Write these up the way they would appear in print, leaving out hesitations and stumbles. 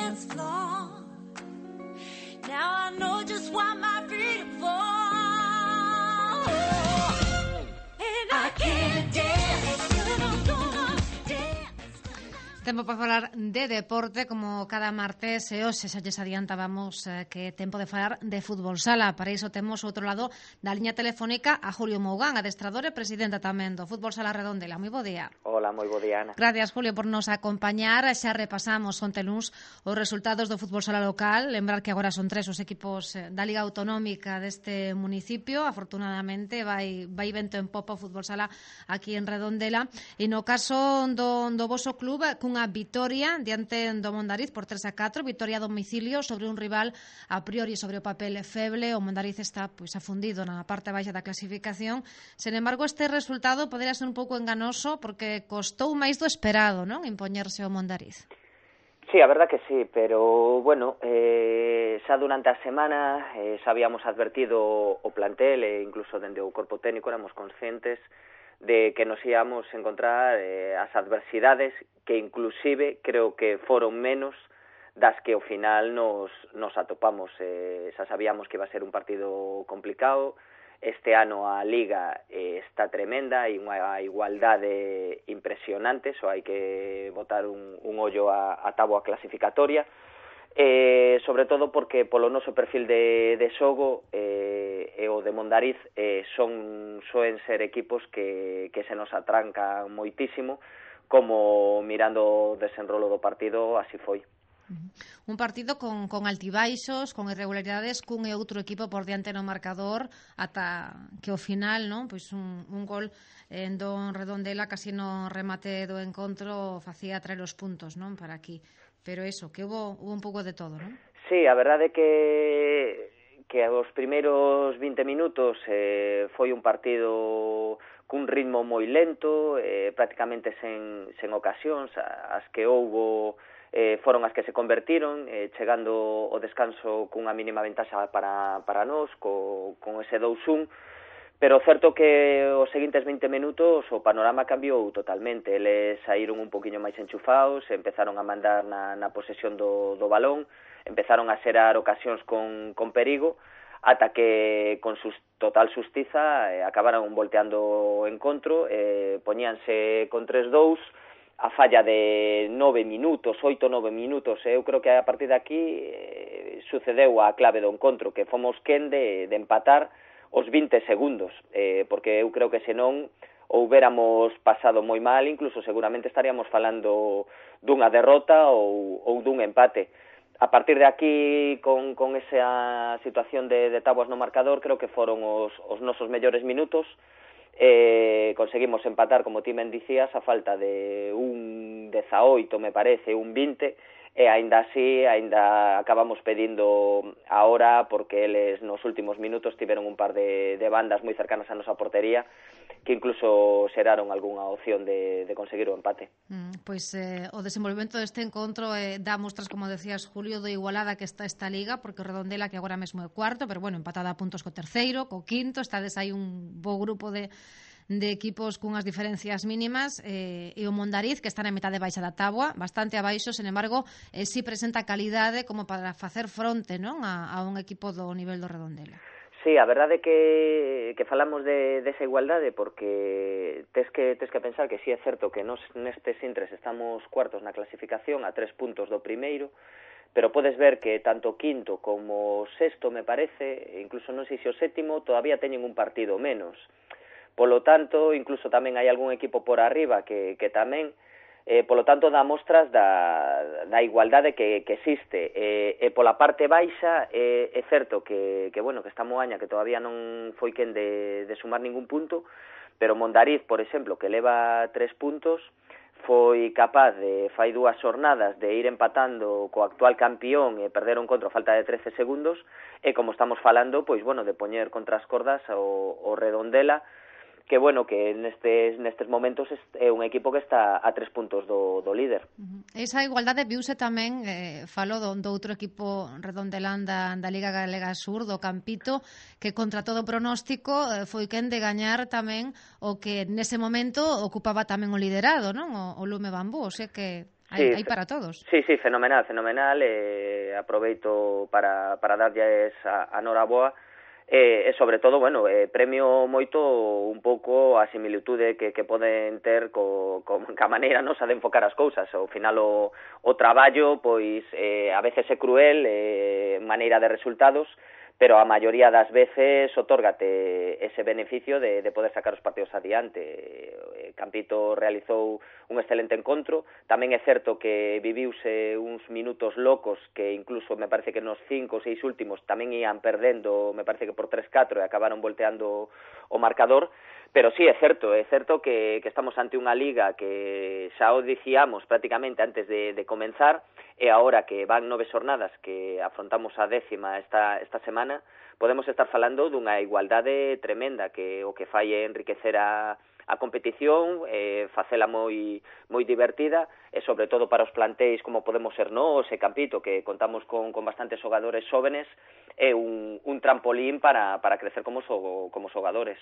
dance floor. Now I know just why my feet fall. And I can't dance till I'm gonna dance. Tempo para falar de deporte, como cada martes, e hoxe xa lles adiantábamos que tempo de falar de fútbol sala. Para iso temos outro lado da liña telefónica a Julio Mougán, adestrador e presidenta tamén do Fútbol Sala Redondela. Moi bo día. Hola, moi bo día, Ana. Gracias, Julio, por nos acompañar. Xa repasamos onte luns os resultados do fútbol sala local. Lembrar que agora son 3 os equipos da Liga Autonómica deste municipio. Afortunadamente vai vento en popa o fútbol sala aquí en Redondela. E no caso do voso club, cunha vitoria diante do Mondariz por 3-4, vitoria a domicilio sobre un rival a priori sobre o papel feble. O Mondariz está afundido na parte baixa da clasificación. Sen embargo, este resultado podería ser un pouco enganoso porque costou máis do esperado, non? Impoñerse o Mondariz. Sí, a verdad que sí, pero bueno, xa durante a semana xa habíamos advertido o plantel e incluso dende o corpo técnico éramos conscientes de que nos íamos encontrar as adversidades que inclusive creo que foron menos das que ao final nos atopamos. Xa sabíamos que iba a ser un partido complicado. Este ano a Liga está tremenda, hai unha igualdade impresionante, só hai que botar un ollo a táboa clasificatoria, sobre todo porque polo noso perfil de xogo e o de Mondariz soen ser equipos que se nos atrancan moitísimo, como mirando o desenrolo do partido así foi. Un partido con altibaixos, con irregularidades, cun e outro equipo por diante no marcador, ata que ao final, non, pois un gol en Don Redondela casi no remate do encontro facía traer os puntos, non, para aquí. Pero eso, que hubo un pouco de todo, non? Sí, a verdade que os primeiros 20 minutos foi un partido cun ritmo moi lento, prácticamente sen ocasións. As que houbo foron as que se convertiron, chegando o descanso cunha mínima ventaxa para nós, con ese 2-1, pero certo que os seguintes 20 minutos o panorama cambiou totalmente. Eles saíron un poquinho máis enchufados, empezaron a mandar na posesión do balón, empezaron a xerar ocasións con perigo, ata que con total xustiza acabaron volteando o encontro, poñíanse con 3-2, a falla de 9 minutos, 8-9 minutos. Eu creo que a partir de aquí sucedeu a clave do encontro, que fomos quen de empatar os 20 segundos, porque eu creo que senón houbéramos pasado moi mal, incluso seguramente estaríamos falando dunha derrota ou dun empate. A partir de aquí, con esa situación de tabuas no marcador, creo que foron os nosos mellores minutos. Conseguimos empatar, como ti me dicías, a falta de un 18, me parece, un 20, e aínda así, acabamos pedindo a hora, porque eles nos últimos minutos tiveron un par de bandas moi cercanas a nosa portería, que incluso xeraron algunha opción de conseguir o empate. Pois o desenvolvemento deste encontro dá mostras, como decías, Julio, do igualada que está esta liga, porque o Redondela, que agora mesmo é cuarto, pero bueno, empatada a puntos co terceiro, co quinto, estades aí un bo grupo de equipos cunhas diferencias mínimas, e o Mondariz, que está na metade baixa da táboa, bastante abaixo, sen embargo, si presenta calidade como para facer fronte, non, a un equipo do nivel do Redondela. Sí, a verdade é que falamos desa igualdade porque tes que pensar que sí é certo que nos nestes intres estamos cuartos na clasificación a 3 puntos do primeiro, pero podes ver que tanto quinto como sexto, me parece, incluso non sei se o sétimo, todavía teñen un partido menos. Polo tanto, incluso tamén hai algún equipo por arriba que tamén, polo tanto, dá mostras da igualdade que existe. E pola parte baixa, é certo que esta Moaña, que todavía non foi quen de sumar ningún punto, pero Mondariz, por exemplo, que leva 3 puntos, foi capaz fai 2 xornadas de ir empatando co actual campión e perder o encontro a falta de 13 segundos, e como estamos falando, pois de poñer contra as cordas o Redondela, que nestes momentos é un equipo que está a 3 puntos do líder. Esa igualdade viuse tamén, falo do outro equipo redondelán da Liga Galega Sur, do Campito, que contra todo pronóstico foi quen de gañar tamén o que nese momento ocupaba tamén o liderado, non? O Lume Bambú, o sea que Hai para todos. Sí, fenomenal. Aproveito para darlles a noraboa. E sobre todo, premio moito un pouco a similitude que poden ter ca maneira nosa de enfocar as cousas. Ao final o traballo, pois, a veces é cruel, maneira de resultados, pero a maioría das veces otórgate ese beneficio de poder sacar os partidos adiante. Campito realizou un excelente encontro. Tamén é certo que viviuse uns minutos locos que incluso me parece que nos 5 ou 6 últimos tamén ian perdendo, me parece que por 3-4 e acabaron volteando o marcador. Pero sí, é certo que estamos ante unha liga que xa o dicíamos prácticamente antes de comenzar, e agora que van 9 xornadas que afrontamos a 10ª esta semana, podemos estar falando dunha igualdade tremenda que o que fai é enriquecer a competición, facela moi divertida, e sobre todo para os plantéis como podemos ser nós e Campito, que contamos con bastantes xogadores xóvenes, é un trampolín para crecer como xogadores.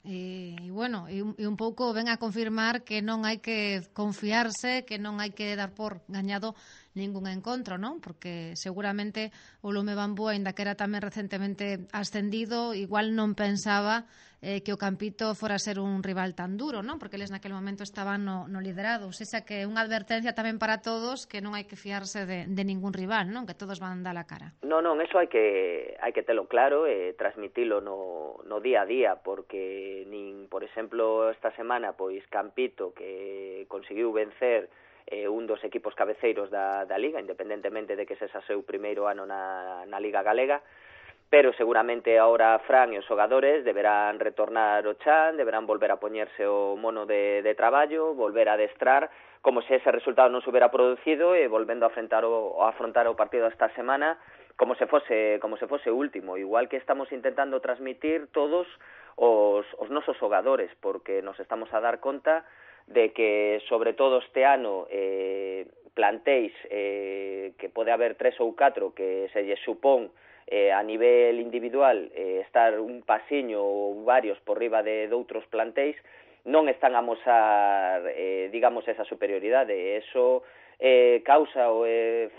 E un pouco ven a confirmar que non hai que confiarse, que non hai que dar por gañado ningún encontro, non? Porque seguramente o Lume Bambú, aínda que era tamén recentemente ascendido, igual non pensaba que o Campito fora a ser un rival tan duro, non? Porque eles naquele momento estaban no liderado. Esa que é unha advertencia tamén para todos, que non hai que fiarse de ningún rival, non? Que todos van dar a cara. Non, eso hai que telo claro e transmitilo no día a día, porque por exemplo, esta semana, pois Campito, que conseguiu vencer un dos equipos cabeceiros da Liga, independentemente de que ese xa seu primeiro ano na Liga Galega, pero seguramente ahora Fran e os xogadores deberán retornar ao chan, deberán volver a poñerse o mono de traballo, volver a adestrar, como se ese resultado non se hubiera producido, e volvendo a afrontar o partido esta semana como se fose o último, igual que estamos intentando transmitir todos os nosos xogadores, porque nos estamos a dar conta de que, sobre todo este ano, plantéis que pode haber 3 ou 4 que se lle supón a nivel individual estar un pasiño ou varios por riba de outros plantéis, non están a mosar, digamos, esa superioridade. Eso causa o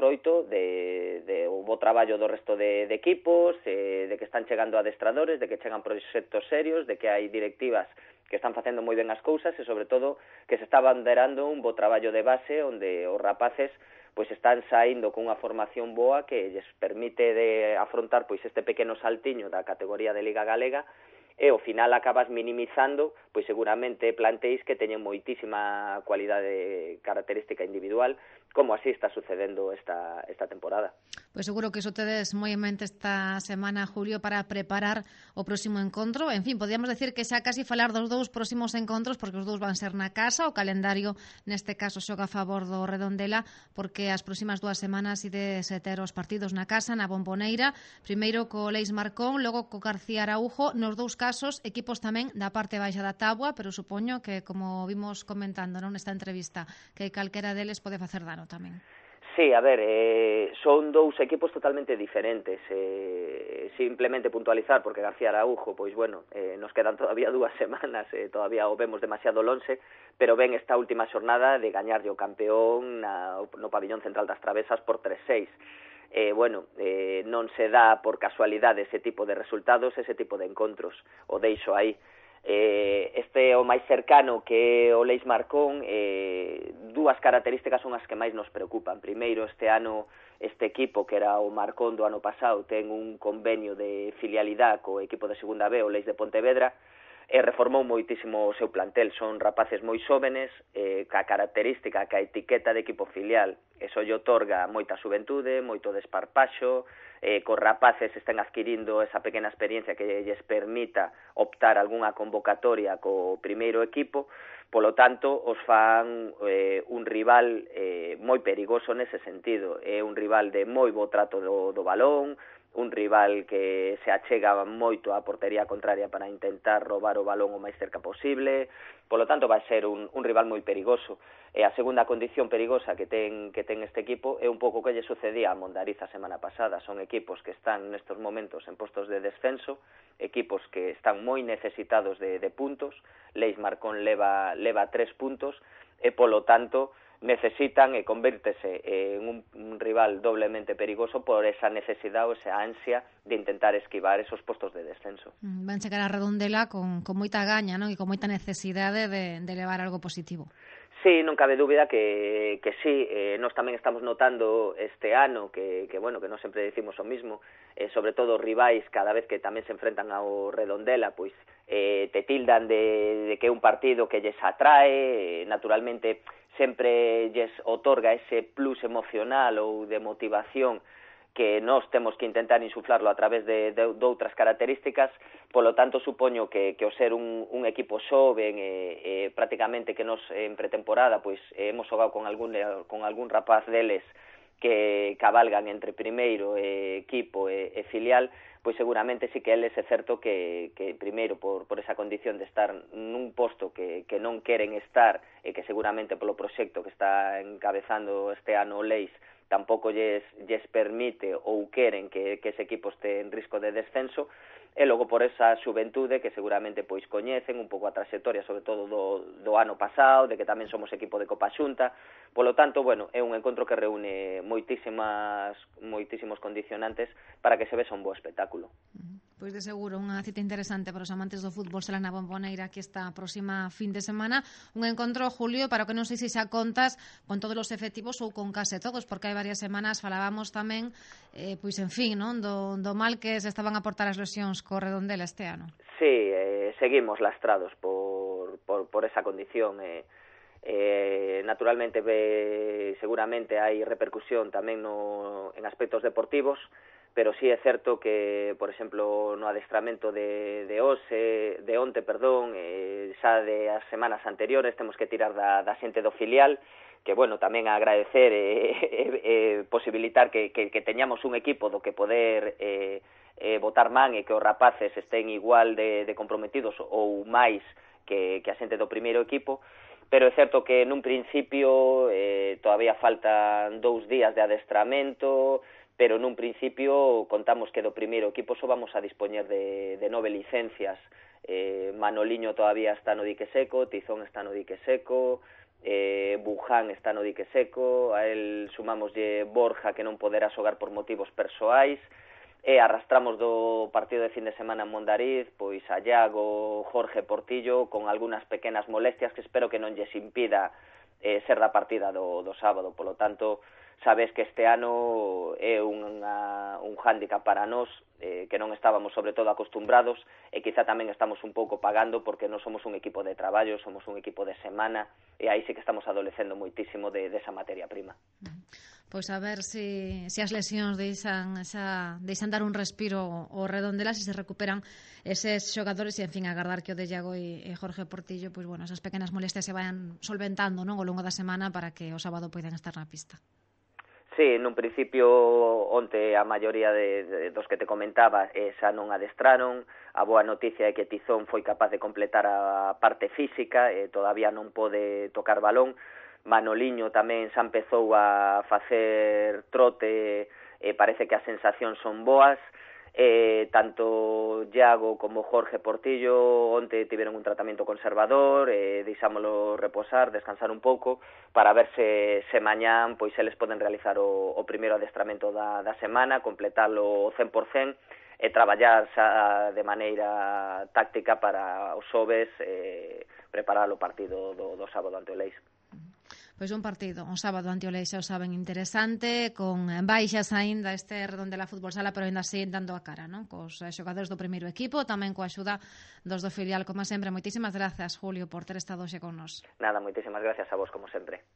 froito de o bo traballo do resto de equipos, de que están chegando adestradores, de que chegan proxectos serios, de que hai directivas que están facendo moi ben as cousas e, sobre todo, que se está banderando un bo traballo de base onde os rapaces pois están saindo con unha formación boa que lles permite de afrontar pois este pequeno saltiño da categoría de Liga Galega, e ao final acabas minimizando pois seguramente plantéis que teñen moitísima cualidade característica individual, como así está sucedendo esta temporada. Pois seguro que iso tedes moi en mente esta semana, Julio, para preparar o próximo encontro. En fin, podíamos decir que xa casi falar dos 2 próximos encontros, porque os 2 van ser na casa. O calendario, neste caso, xoga a favor do Redondela, porque as próximas 2 semanas ides ter os partidos na casa, na Bomboneira, primeiro co Leis Marcón, logo co García Araújo. Nos 2 casos, equipos tamén da parte baixa da táboa, pero supoño que, como vimos comentando nesta entrevista, que calquera deles pode facer dano tamén. Sí, a ver, son 2 equipos totalmente diferentes. Simplemente puntualizar, porque García Araújo, pois bueno, nos quedan todavía 2 semanas, todavía o vemos demasiado lonxe, pero ven esta última xornada de gañarlle o campeón no pabillón central das Travesas por 3-6. Non se dá por casualidade ese tipo de resultados, ese tipo de encontros, o deixo aí. Este o máis cercano, que o Leis Marcón, 2 características son as que máis nos preocupan. Primeiro, este ano este equipo, que era o Marcón do ano pasado, ten un convenio de filialidade co equipo de segunda B, o Leis de Pontevedra, e reformou moitísimo o seu plantel. Son rapaces moi xóvenes, ca característica, ca etiqueta de equipo filial. Eso lle otorga moita xuventude, moito desparpaxo, cos rapaces están adquirindo esa pequena experiencia que lles permita optar algunha convocatoria co primeiro equipo. Polo tanto, os fan un rival moi perigoso nese sentido. É un rival de moi bo trato do balón, un rival que se achega moito á portería contraria para intentar roubar o balón o máis cerca posible. Polo tanto, vai ser un rival moi perigoso. E a segunda condición perigosa que ten este equipo é un pouco que lle sucedía a Mondariz a semana pasada. Son equipos que están nestos momentos en postos de descenso, equipos que están moi necesitados de puntos. Leis Marcón leva 3 puntos, e polo tanto necesitan e convírtese en un rival doblemente perigoso por esa necesidade ou esa ansia de intentar esquivar esos postos de descenso. Van chegar a Redondela con moita gaña, non? E con moita necesidade de levar algo positivo. Sí, non cabe dúbida que sí, nós tamén estamos notando este ano que bueno, que non sempre decimos o mismo, sobre todo rivais cada vez que tamén se enfrentan ao Redondela, pois te tildan de que é un partido que lles atrae, naturalmente sempre lles otorga ese plus emocional ou de motivación que nós temos que intentar insuflarlo a través de outras características, polo tanto supoño que o ser un equipo xoven prácticamente que nos en pretemporada pois hemos xogado con algún rapaz deles que cabalgan entre primeiro equipo e filial, pois seguramente sí que eles é certo que primeiro por esa condición de estar nun posto que non queren estar e que seguramente polo proxecto que está encabezando este ano o Leis tampouco lles permite ou queren que ese equipo este en risco de descenso, e logo por esa xuventude que seguramente pois coñecen un pouco a trayectoria, sobre todo do ano pasado, de que tamén somos equipo de Copa Xunta. Polo tanto, bueno, é un encontro que reúne moitísimos condicionantes para que se vexa un bo espectáculo. Pois de seguro, unha cita interesante para os amantes do fútbol será na Bomboneira aquí esta próxima fin de semana. Un encontro, Julio, para que non sei se xa contas con todos os efectivos ou con case todos, porque hai varias semanas falábamos tamén, pois en fin, non, do mal que se estaban a portar as lesións co Redondela este ano. Sí, seguimos lastrados por esa condición. Naturalmente, seguramente hai repercusión tamén en aspectos deportivos, pero sí é certo que, por exemplo, no adestramento de onte, xa de as semanas anteriores temos que tirar da xente do filial, que, bueno, tamén agradecer e posibilitar que teñamos un equipo do que poder botar man e que os rapaces estén igual de comprometidos ou máis que a xente do primeiro equipo, pero é certo que nun principio todavía faltan 2 días de adestramento, pero nun principio contamos que do primeiro equipo só vamos a dispoñer de 9 licencias. Manoliño todavía está no dique seco, Tizón está no dique seco, Buján está no dique seco, a él sumámoslle Borja que non poderá xogar por motivos persoais, e arrastramos do partido de fin de semana en Mondariz pois a Iago, Jorge Portillo con algunhas pequenas molestias que espero que non lles impida ser da partida do sábado. Polo tanto, sabes que este ano é un hándicap para nós que non estábamos sobre todo acostumbrados e quizá tamén estamos un pouco pagando porque non somos un equipo de traballo, somos un equipo de semana e aí sí que estamos adolecendo moitísimo de esa materia prima. Pois a ver se as lesións deixan dar un respiro ao Redondela, se recuperan eses xogadores e, en fin, agardar que o de Iago e Jorge Portillo, pois, bueno, esas pequenas molestias se vayan solventando, non, ao longo da semana para que o sábado poidan estar na pista. Sí, nun principio onte a maioría dos que te comentaba xa non adestraron. A boa noticia é que Tizón foi capaz de completar a parte física e todavía non pode tocar balón. Manoliño tamén xa empezou a facer trote e parece que as sensacións son boas. Tanto Iago como Jorge Portillo onte tiveron un tratamento conservador, deixámolo reposar, descansar un pouco para ver se mañán pois eles poden realizar o primeiro adestramento da semana, completalo 100% e traballar xa de maneira táctica para os xoves preparar o partido do sábado ante o Leis. Pois un partido, un sábado ante o Leis, xa o saben, interesante, con baixas aínda este Redondela Fútbol Sala, pero aínda así dando a cara, non? Cos xogadores do primeiro equipo, tamén coa axuda dos do filial, como sempre. Moitísimas grazas, Julio, por ter estado hoxe con nós. Nada, moitísimas gracias a vos, como sempre.